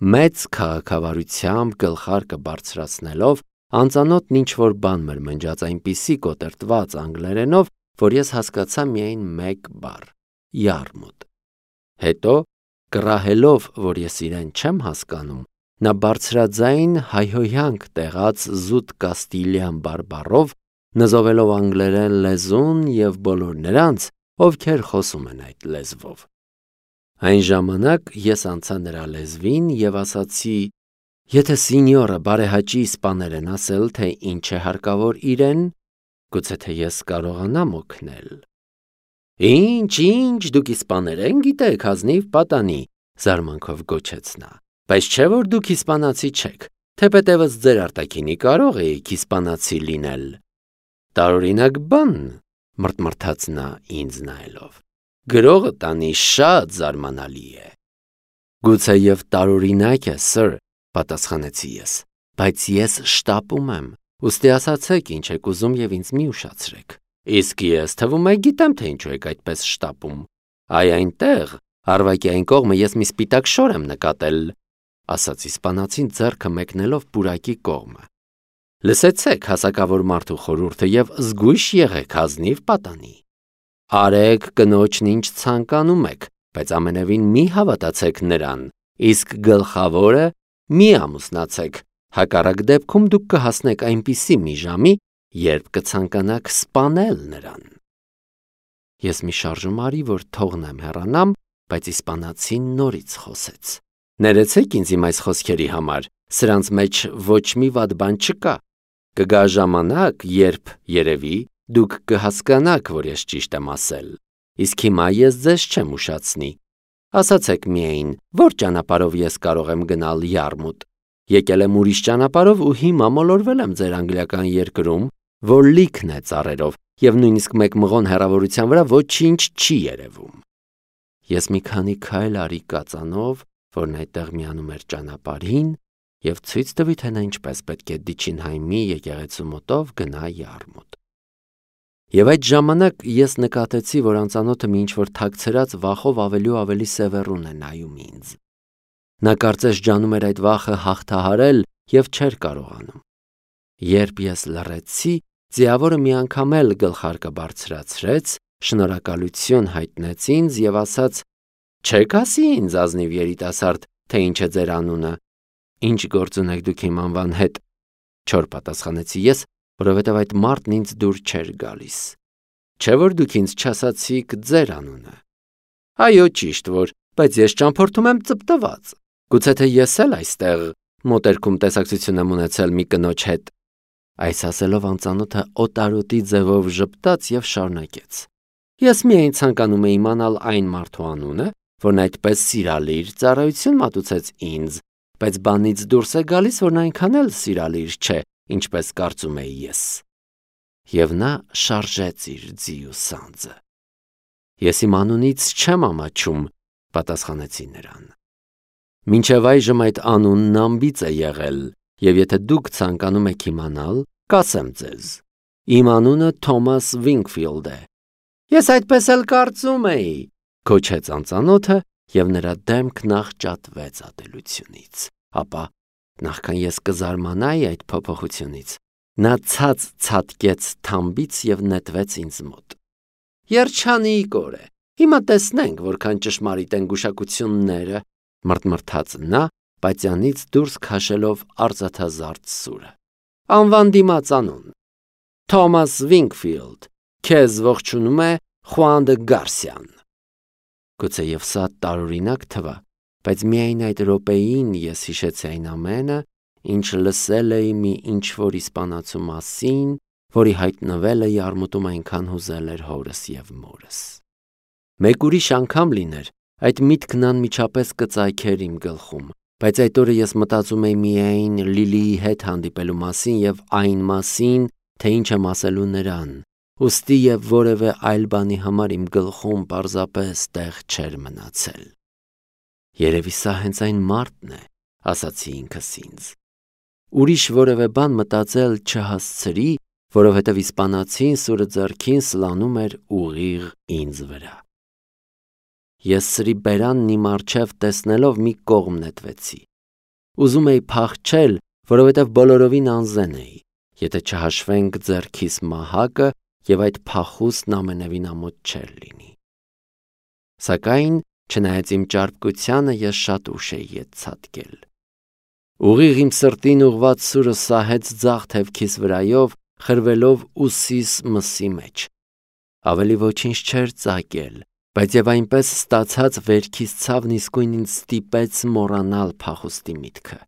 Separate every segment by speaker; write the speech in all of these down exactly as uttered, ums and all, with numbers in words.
Speaker 1: մեծ քաղաքավարությամբ գլխարկը բարձրացնելով, անծանոթն ինչ-որ բան մրմնջաց այնպիսի կոտրտված անգլերենով, որ ես հասկացա միայն մեկ բառ՝ յարմուտ։ Հետո, կռահելով, որ ես իրեն չեմ հասկանում, նա բարձրաձայն հայհոյանք տեղաց զուտ կաստիլյան բարբառով, նզովելով անգլերեն լեզուն և բոլոր նրանց, ովքեր խոսում են այդ լեզվով։ Այն ժամանակ ես անցա նրա լեզվին և ասացի. «Եթե սինյորը բարեհաճի իսպաներեն ասել, թե ինչ է հարկավոր իրեն, գուցե թե ես կարողանամ օգնել»։ «Ինչ, ինչ, դուք իսպաներեն գիտեք, ազնիվ պատանի», զարմանքով գոչեց նա, «բայց չէ՞ որ դուք իսպանացի չեք, թեպետևս ձեր արտաքինի կարող էիք իսպանացի լինել»։ «Տարօրինակ բան», մռթմռթաց նա ինձ նայելով, «գրողը տանի շատ զարմանալի է»։ «Գուցեև տարօրինակ է, սըր», պատասխանեցի ես, «բայց ես շտապում եմ, ուստի ասացեք ինչ եք ուզում և ինձ մի ուշացրեք»։ «Իսկ ես թվում է գիտեմ, թե ինչու եք այդպես շտապում։ Այ այնտեղ, Արվակի այն կողմը ես մի սպիտակ շոր եմ նկատել», ասաց իսպանացին ձեռքը մեկնելով պուրակի կողմը։ «Լսեցեք հասակավոր մարդու խորհուրդը և զգույշ եղեք, ազնիվ պատանի։ Արեք կնոջն ինչ ցանկանում եք, բայց ամենևին մի հավատացեք նրան, իսկ գլխավորը մի ամուսնացեք, հակառակ դեպքում դուք կհասնեք այնպիսի մի ժամի, երբ կցանկանաք սպանել նրան»։ Ես մի շարժում արի, որ թողնեմ հեռանամ, բայց իսպանացին նորից խոսեց. «Ներեցեք ինձ իմ այս խոսքերի համար, սրանց մեջ ոչ մի վատ բան չկա։ Կգա ժամանակ, երբ, երևի, դուք կհասկանաք, որ ես ճիշտ եմ ասել, իսկ հիմա ես ձեզ չեմ ուշացնի։ Ասացեք միայն, որ ճանապարհով ես կարող եմ գնալ յարմուտ։ Եկել եմ ուրիշ ճանապարհով ու հիմա մոլորվել եմ ձեր անգլիական երկրում, որ լիքն է ծառերով, և նույնիսկ մեկ մղոն հեռավորության վրա ոչինչ չի երևում»։ Ես մի քանի քայլ արի կածանով, որն այդտեղ միանում էր ճանապարհին, և ցույց տվի, թե նա ինչպես պետք է Դիչինհայմի եկեղեցու մոտով գնա յարմուտ։ Եվ այդ ժամանակ ես նկատեցի, որ անծանոթը մի ինչ-որ թաքցրած վախով ավելի ու ավելի սևեռուն է նայում ինձ։ Նա կարծես ջանում էր այդ վախը հաղթահարել և չէր կարողանում։ Երբ ես լռեցի, ձիավորը մի անգամ էլ գլխարկը բարձրացրեց, շնորհակալություն հայտնեց ինձ և ասաց. «Չեք ասի ինձ, ազնիվ երիտասարդ, թե ինչ է ձեր անունը»։ «Ինչ գործ ունեք դուք իմ անվան հետ», չոր պատասխանեցի ես, որովհետև այդ մարդն ինձ դուր չէր գալիս։ «Չէ՞ որ դուք ինձ չասացիք ձեր անունը»։ «Այո, ճիշտ որ, բայց ես ճամփորդում եմ ծպտված։ Գուցե թե ես էլ այստեղ մոտերքում տեսակցություն եմ ունեցել մի կնոջ հետ»։ Այս ասելով անծանոթը օտարոտի ձևով ժպտաց և շարունակեց. «Ես միայն ցանկանում էի իմանալ այն մարդու անունը, որն այդպես սիրալիր ծառայություն մատուցեց ինձ, բայց բանից դուրս է գալիս, որ նա այնքան էլ սիրալիր չէ, ինչպես կարծում էի ես»։ Եվ նա շարժեց իր ձիու սանձը։ «Ես իմ անունից չեմ ամաչում», պատասխանեցի նրան։ «Մինչև այժմ այդ անունն անբիծ է եղել, և եթե դուք ցանկանում եք իմանալ, կասեմ ձեզ. իմ անունը Թոմաս Վինքֆիլդ է»։ «Ես այդպես էլ կարծում էի», գոչեց անծանոթը, և նրա դեմքն աղճատվեց ատելությունից։ Ապա, նախքան ես կզարմանայի այդ փոփոխությունից, նա ցած ցատկեց թամբից և նետվեց ինձ մոտ։ «Երջանիկ օր է, հիմա տեսնենք որքան ճշմարիտ են գուշակությունները», մռթմռթաց նա, պատյանից դուրս քաշելով արծաթազարդ սուրը։ «Անվան դիմաց անուն. Թոմաս Վինքֆիլդ, քեզ ողջունում է Խուան դը Գարսիան»։ Գուցեև սա տարօրինակ թվա, բայց միայն այդ րոպեին ես հիշեցի այն ամենը, ինչ լսել էի մի ինչ-որ իսպանացու մասին, որի հայտնվելը յարմուտում այնքան հուզել էր հորս և մորս։ Մեկ ուրիշ անգամ լիներ, այդ միտքն անմիջապես կծագեր իմ գլխում, բայց այդ օրը ես մտածում էի միայն Լիլիի հետ հանդիպելու մասին և այն մասին, թե ինչ եմ ասելու նրան, ուստի և որևէ այլ բանի համար իմ գլխում պարզապես տեղ չէր մնացել։ «Երևի սա հենց այն մարդն է», ասացի ինքս ինձ։ Ուրիշ որևէ բան մտածել չհասցրի, որովհետև իսպանացին սուրը ձեռքին սլանում էր ուղիղ ինձ վրա։ Ես սրի բերանն իմ առջև տեսնելով մի կողմ նետվեցի։ Ուզում էի փախչել, որովհետև բոլորովին անզեն էի, եթե չհաշվենք ձեռքիս մահակը և այդ փախուստն ամենևին ամոթ չէր լինի։ Սակայն, չնայած իմ ճարպկությանը, ես շատ ուշ էի ետ ցատկել։ Ուղիղ իմ սրտին ուղված սուրը սահեց ձախ թևքիս վրայով, խրվելով ուսիս մսի մեջ։ Ավելի ոչինչ չէր ծագել, բայց և այնպես ստացած վերքիս ցավն իսկույն ինձ ստիպեց մոռանալ փախուստի միտքը։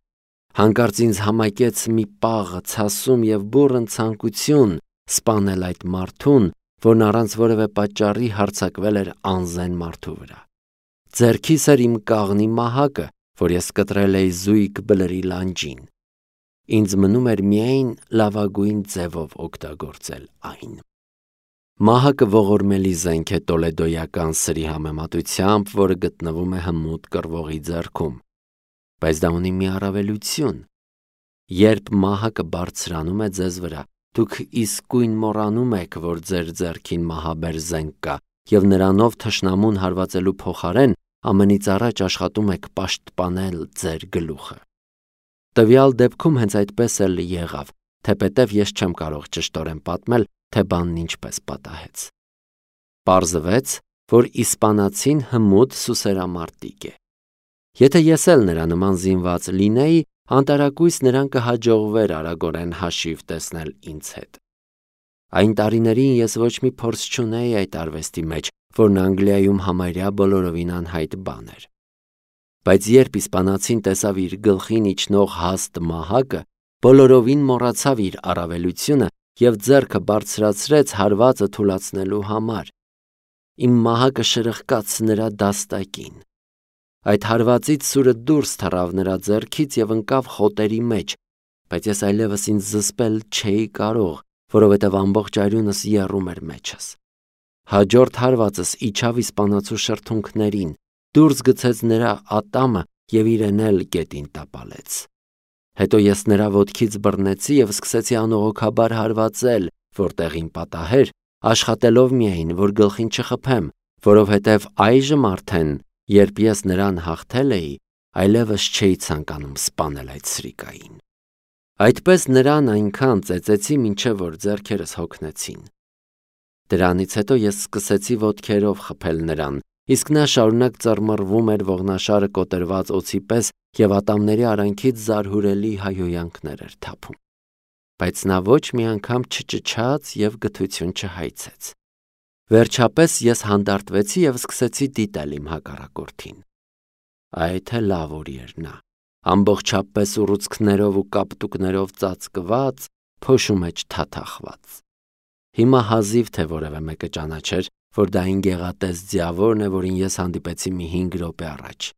Speaker 1: Հանկարծ ինձ համակեց մի պաղ, ցասում և բուռն ցանկություն սպանել այդ մարդուն, որն առանց որևէ պատճառի հարձակվել էր անզեն մարդու վրա։ Ձեռքիս էր իմ կաղնի մահակը, որ ես կտրել էի զույգ բլրի լանջին։ Ինձ մնում էր միայն լավագույն ձևով օգտագործել այն։ Մահակը ողորմելի զենք է տոլեդոյական սրի համեմատությամբ, որը գտնվում է հմուտ կռվողի ձեռքում, բայց դա ունի մի առավելություն։ Երբ մահակը բարձրանում է ձեզ վրա, դուք իսկույն մոռանում եք, որ ձեր ձեռքին մահաբեր զենք կա, և նրանով թշնամուն հարվածելու փոխարեն ամենից առաջ աշխատում եք պաշտպանել ձեր գլուխը։ Տվյալ դեպքում հենց այդպես էլ եղավ, թեպետև ես չեմ կարող ճշտորեն պատմել, թե բանն ինչպես պատահեց։ Պարզվեց, որ իսպանացին հմուտ սուսերամարտիկ է։ Եթե ես էլ նրա նման զինված լինեի, անտարակույս նրան կհաջողվեր արագորեն հաշիվ տեսնել ինձ հետ։ Այն տարիներին ես ոչ մի փորձ չունեի այդ արվեստի մեջ, որն Անգլիայում համարյա բոլորովին անհայտ բան էր։ Բայց երբ իսպանացին տեսավ իր գլխին իջնող հաստ մահակը, բոլորովին մոռացավ իր առավելությունը և ձեռքը բարձրացրեց հարվածը թուլացնելու համար։ Իմ մահակը շրխկաց նրա դաստակին։ Այդ հարվածից սուրը դուրս թռավ նրա ձեռքից և ընկավ խոտերի մեջ, բայց ես այլևս ինձ զսպել չէի կարող, որովհետև ամբողջ արյունս եռում էր մեջս։ Հաջորդ հարվածս իջավ իսպանացու շրթունքներին, դուրս գցեց նրա ատամը և իրեն էլ գետին տապալեց։ Հետո ես նրա ոտքից բռնեցի և սկսեցի անողոքաբար հարվածել, որտեղ իմ պատահեր, աշխատելով միայն, որ գլխին չխփեմ, որովհետև այժմ արդեն, երբ ես նրան հաղթել էի, այլևս չէի ցանկանում սպանել այդ սրիկային։ Այդպես նրան այնքան ծեծեցի, մինչև որ ձեռքերս հոգնեցին։ Դրանից հետո ես սկսեցի ոտքերով խփել նրան, իսկ նա շարունակ ծռմռվում էր ողնաշարը կոտրված օձի պես և ատամների արանքից զարհուրելի հայհոյանքներ էր թափում։ Բայց նա ոչ մի անգամ չճչաց և գթություն չհայցեց։ Վերջապես ես հանդարտվեցի և սկսեցի դիտել իմ հակառակորդին։ Այ թե լավ ուր էր նա, ամբողջապես ուռուցքներով ու կապտուկներով ծածկված, փոշու մեջ թաթախված։ Հիմա հազիվ թե որևէ մեկը ճանաչեր, որ դա այն գեղատես ձիավորն է, որին ես հանդիպեցի մի հինգ րոպե առաջ։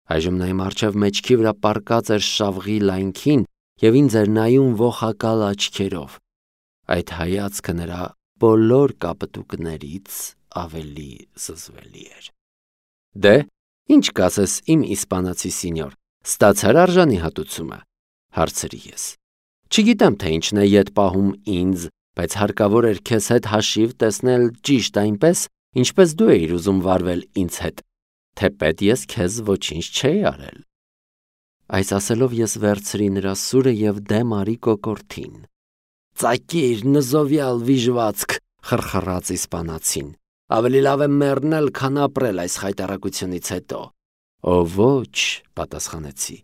Speaker 1: Այժմ նա իմ առջև մեջքի վրա պառկած էր շավղի լայնքին և ինձ էր նայում ոխակալ աչքերով։ Այդ հայացքը նրա բոլոր կապտուկներից ավելի զզվելի էր։ Դե, ինչ կասես, իմ իսպանացի սինյոր, ստացա՞ր արժանի հատուցումը, հարցրի ես։ Չգիտեմ, թե ինչն է ետ պահում ինձ, բայց հարկավոր էր քեզ հետ հաշիվ տեսնել ճիշտ այնպես, ինչպես դու էիր ուզում վարվել ինձ հետ, թեպետ ես քեզ ոչինչ չէի արել։ Այս ասելով ես վերցրի նրա սուրը և դեմ արի կոկորդին։ Ծակիր, նզովյալ վիժվածք, խրխռաց իսպանացին, ավելի լավ է մեռնել, քան ապրել այս խայտառակությունից հետո։ Օ ոչ, պատասխանեցի,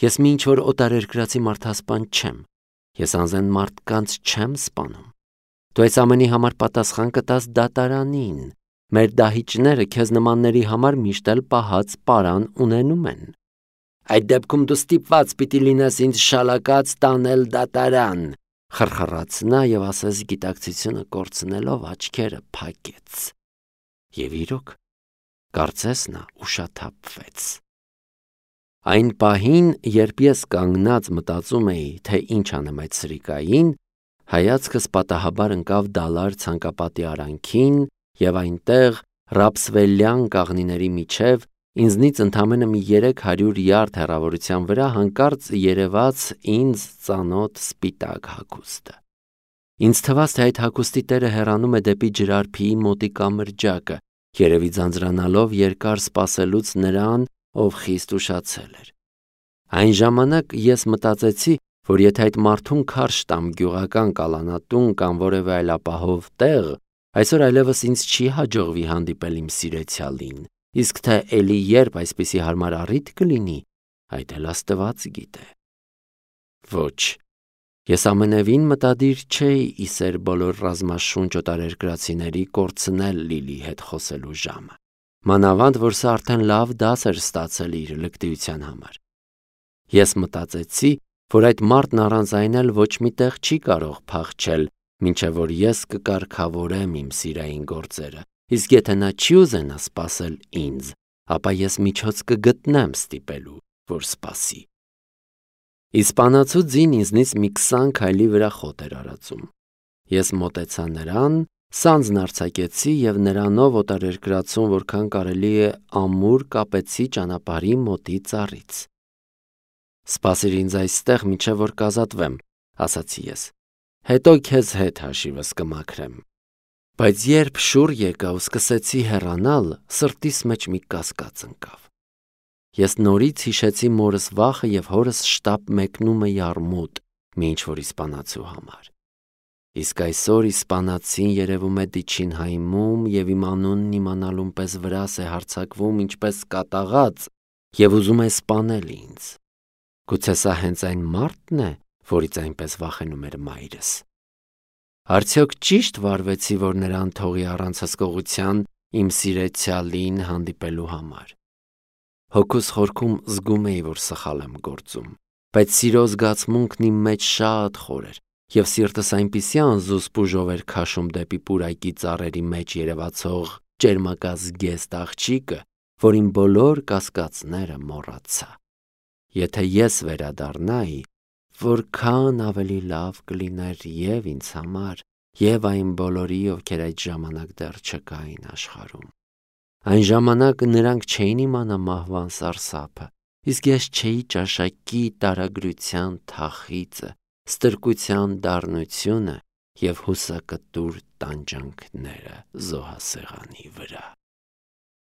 Speaker 1: ես մի ինչ-որ օտարերկրացի մարդասպան չեմ, ես անզեն մարդկանց չեմ սպանում։ Դու այս ամենի համար պատասխան կտաս դատարանին, մեր դահիճները քեզ նմանների համար միշտ էլ պահած պարան ունենում են։ Այդ դեպքում դու ստիպված պիտի լինես ինձ շալակած տանել դատարան, խրխռաց նա և ասես գիտակցությունը կորցնելով աչքերը փակեց։ Եվ իրոք, կարծես նա ուշաթափվեց։ Այն պահին, երբ ես կանգնած մտածում էի, թե ինչ անեմ այդ սրիկային, հայացքս պատահաբար ընկավ դալար ցանկապատի արանքին և այնտեղ, ռապսվելյան կաղնիների միջև, ինձնից ընդամենը մի երեք հարյուր յարդ հեռավորության վրա հանկարծ երևաց ինձ ծանոթ սպիտակ հագուստը։ Ինձ թվաց, թե այդ հագուստի տերը հեռանում է դեպի ջրարբիի մոտիկ կամրջակը, երևի ձանձրանալով երկար սպասելուց նրան, ով խիստ ուշացել էր։ Այն ժամանակ ես մտածեցի, որ եթե այդ մարդուն քարշ տամ գյուղական կալանատուն կամ որևէ այլ ապահով տեղ, այսօր այլևս ինձ չի հաջողվի հանդիպել իմ սիրեցյալին, իսկ թե էլի երբ այսպիսի հարմար առիթ կլինի, այդ էլ Աստված գիտե։ Ոչ, ես ամենևին մտադիր չէի իսեր բոլոր ռազմաշունչ օտարերկրացիների կորցնել Լիլի հետ խոսելու ժամը, մանավանդ որ սա արդեն լավ դաս էր ստացել իր լկտիության համար։ Ես մտածեցի, որ այդ մարդն առանց այն էլ ոչ մի տեղ չի կարող փախչել, մինչև որ ես կկարգավորեմ իմ սիրային գործերը, իսկ եթե նա չի ուզենա սպասել ինձ, ապա ես միջոց կգտնեմ ստիպելու, որ սպասի։ Իսպանացու ձին ինձնից մի քսան քայլի վրա խոտ էր արածում։ Ես մոտեցա նրան, սանձն արձակեցի և նրանով օտարերկրացուն որքան կարելի է ամուր կապեցի ճանապարհի մոտի ծառից։ Սպասիր ինձ այստեղ, մինչև որ կազատվեմ, ասացի ես, հետո քեզ հետ հաշիվս կմաքրեմ։ Բայց երբ շուռ եկա ու սկսեցի հեռանալ, սրտիս մեջ մի կասկած ընկավ։ Ես նորից հիշեցի մորս վախը և հորս շտապ մեկնումը յարմուտ մի ինչ-որ իսպանացու համար։ Իսկ այսօր իսպանացին երևում է դիչին հայմում և իմ անունն իմանալուն պես վրաս է հարձակվում ինչպես կատաղած և ուզում է սպանել ինձ։ Գուցե սա հենց այն մարդն է, որից այնպես վախենում էր մայրս։ Արդյոք ճի՞շտ վարվեցի, որ նրան թողի առանց հսկողության իմ սիրեցյալին հանդիպելու համար։ Հոգուս խորքում զգում էի, որ սխալ եմ գործում, բայց սիրո զգացմունքն իմ մեջ շատ խոր էր, և սիրտս այնպիսի անզուսպուժով էր քաշում դեպի պուրակի ծառերի մեջ երևացող ճերմակազգեստ աղջիկը, որ իմ բոլոր կասկածները մոռացա։ Եթե ես վերադառնայի, որքան ավելի լավ կլիներ և ինձ համար, և այն բոլորի, ովքեր այդ ժամանակ դեռ չկային աշխարհում։ Այն ժամանակ նրանք չէին իմանա մահվան սարսափը, իսկ ես չէի ճաշակի տարագրության թախիծը, ստրկության դառնությունը և հուսակտուր տանջանքները զոհասեղանի վրա։